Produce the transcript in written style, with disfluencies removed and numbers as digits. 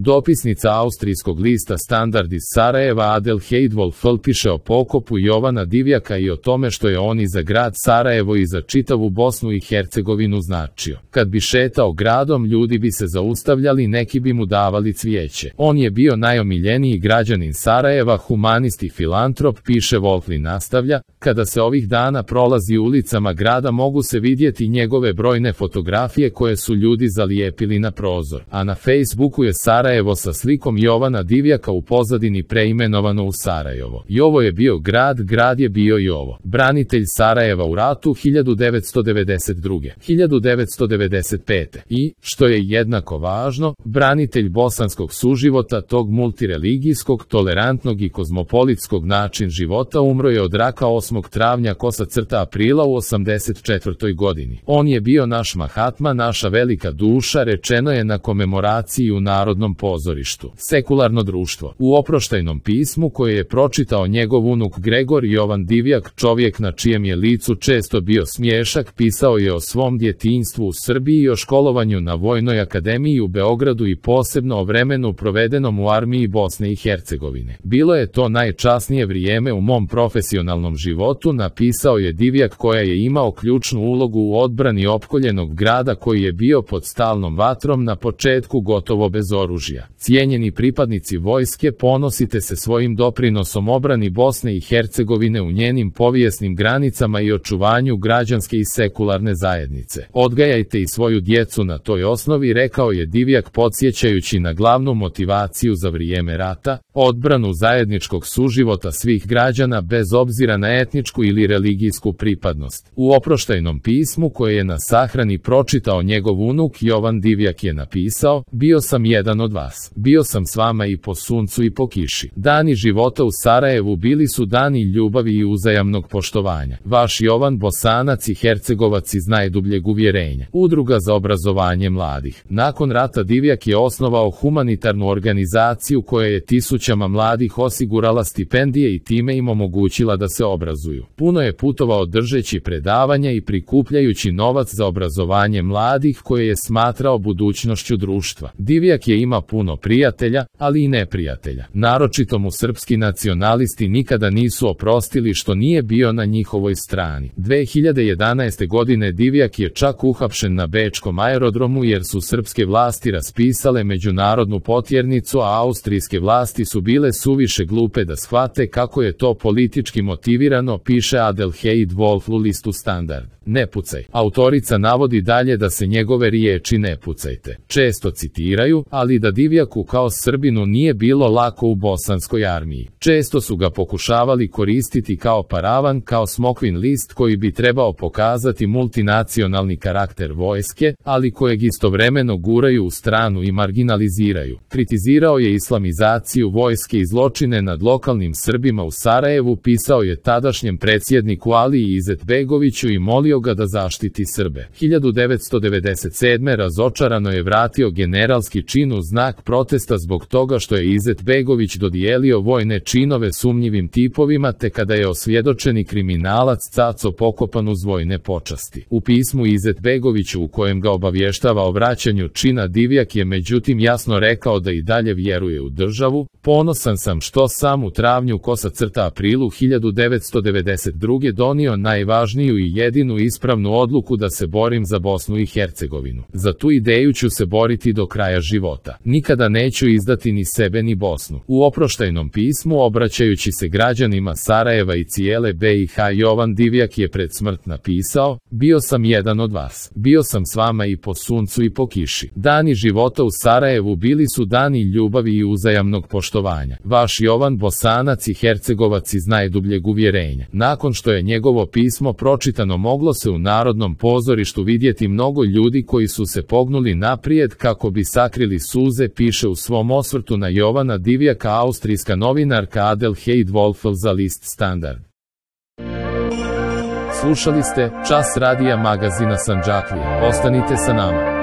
Dopisnica austrijskog lista Standard iz Sarajeva Adelheid Wolfl piše o pokopu Jovana Divjaka i o tome što je on i za grad Sarajevo i za čitavu Bosnu i Hercegovinu značio. Kad bi šetao gradom, ljudi bi se zaustavljali, neki bi mu davali cvijeće. On je bio najomiljeniji građanin Sarajeva, humanist i filantrop, piše Wolfl i nastavlja, kada se ovih dana prolazi ulicama grada mogu se vidjeti njegove brojne fotografije koje su ljudi zalijepili na prozor, a na Facebooku je Sarajevo sa slikom Jovana Divjaka u pozadini preimenovano u Sarajevo. Jovo je bio grad, grad je bio Jovo. Branitelj Sarajeva u ratu 1992. 1995. I, što je jednako važno, branitelj bosanskog suživota, tog multireligijskog, tolerantnog i kozmopolitskog način života, umro je od raka 8. travnja aprila u 84. godini. On je bio naš Mahatma, naša velika duša, rečeno je na komemoraciji u Narodnom pozorištu. Sekularno društvo. U oproštajnom pismu koje je pročitao njegov unuk Gregor Jovan Divjak, čovjek na čijem je licu često bio smiješak, pisao je o svom djetinjstvu u Srbiji i o školovanju na Vojnoj akademiji u Beogradu i posebno o vremenu provedenom u armiji Bosne i Hercegovine. Bilo je to najčasnije vrijeme u mom profesionalnom životu, napisao je Divjak, koja je imao ključnu ulogu u odbrani opkoljenog grada koji je bio pod stalnom vatrom na početku gotovo bez oružja. Cijenjeni pripadnici vojske, ponosite se svojim doprinosom obrani Bosne i Hercegovine u njenim povijesnim granicama i očuvanju građanske i sekularne zajednice. Odgajajte i svoju djecu na toj osnovi, rekao je Divjak, podsjećajući na glavnu motivaciju za vrijeme rata, odbranu zajedničkog suživota svih građana bez obzira na etničku ili religijsku pripadnost. U oproštajnom pismu koje je na sahrani pročitao njegov unuk Jovan Divjak je napisao: bio sam jedan od vas. Bio sam s vama i po suncu i po kiši. Dani života u Sarajevu bili su dani ljubavi i uzajamnog poštovanja. Vaš Jovan, Bosanac i Hercegovac iz najdubljeg uvjerenja. Udruga za obrazovanje mladih. Nakon rata Divjak je osnovao humanitarnu organizaciju koja je tisućama mladih osigurala stipendije i time im omogućila da se obrazuju. Puno je putovao držeći predavanja i prikupljajući novac za obrazovanje mladih koje je smatrao budućnošću društva. Divjak je imao puno prijatelja, ali i neprijatelja. Naročito mu srpski nacionalisti nikada nisu oprostili što nije bio na njihovoj strani. 2011. godine Divjak je čak uhapšen na bečkom aerodromu jer su srpske vlasti raspisale međunarodnu potjernicu, a austrijske vlasti su bile suviše glupe da shvate kako je to politički motivirano, piše Adelheid Wolfl u listu Standard. Ne pucaj. Autorica navodi dalje da se njegove riječi "ne pucajte" često citiraju, ali da Divjaku kao Srbinu nije bilo lako u bosanskoj armiji. Često su ga pokušavali koristiti kao paravan, kao smokvin list koji bi trebao pokazati multinacionalni karakter vojske, ali kojeg istovremeno guraju u stranu i marginaliziraju. Kritizirao je islamizaciju vojske i zločine nad lokalnim Srbima u Sarajevu, pisao je tadašnjem predsjedniku Aliji Izetbegoviću i molio ga da zaštiti Srbe. 1997. razočarano je vratio generalski čin u znak protesta zbog toga što je Izetbegović dodijelio vojne činove sumnjivim tipovima, te kada je osvjedočeni kriminalac Caco pokopan uz vojne počasti. U pismu Izetbegoviću u kojem ga obavještava o vraćanju čina, Divjak je međutim jasno rekao da i dalje vjeruje u državu. Ponosan sam što sam u travnju aprilu 1992. donio najvažniju i jedinu ispravnu odluku da se borim za Bosnu i Hercegovinu. Za tu ideju ću se boriti do kraja života. Nikada neću izdati ni sebe ni Bosnu. U oproštajnom pismu, obraćajući se građanima Sarajeva i cijele BiH, Jovan Divjak je pred smrt napisao: bio sam jedan od vas. Bio sam s vama i po suncu i po kiši. Dani života u Sarajevu bili su dani ljubavi i uzajamnog poštovanja. Vaš Jovan, Bosanac i Hercegovac iz najdubljeg uvjerenja. Nakon što je njegovo pismo pročitano, moglo se u Narodnom pozorištu vidjeti mnogo ljudi koji su se pognuli naprijed kako bi sakrili suze, piše u svom osvrtu na Jovana Divjaka austrijska novinarka Adelheid Wolfl za list Standard. Slušali ste Čas radija magazina Sandžaklije. Ostanite sa nama.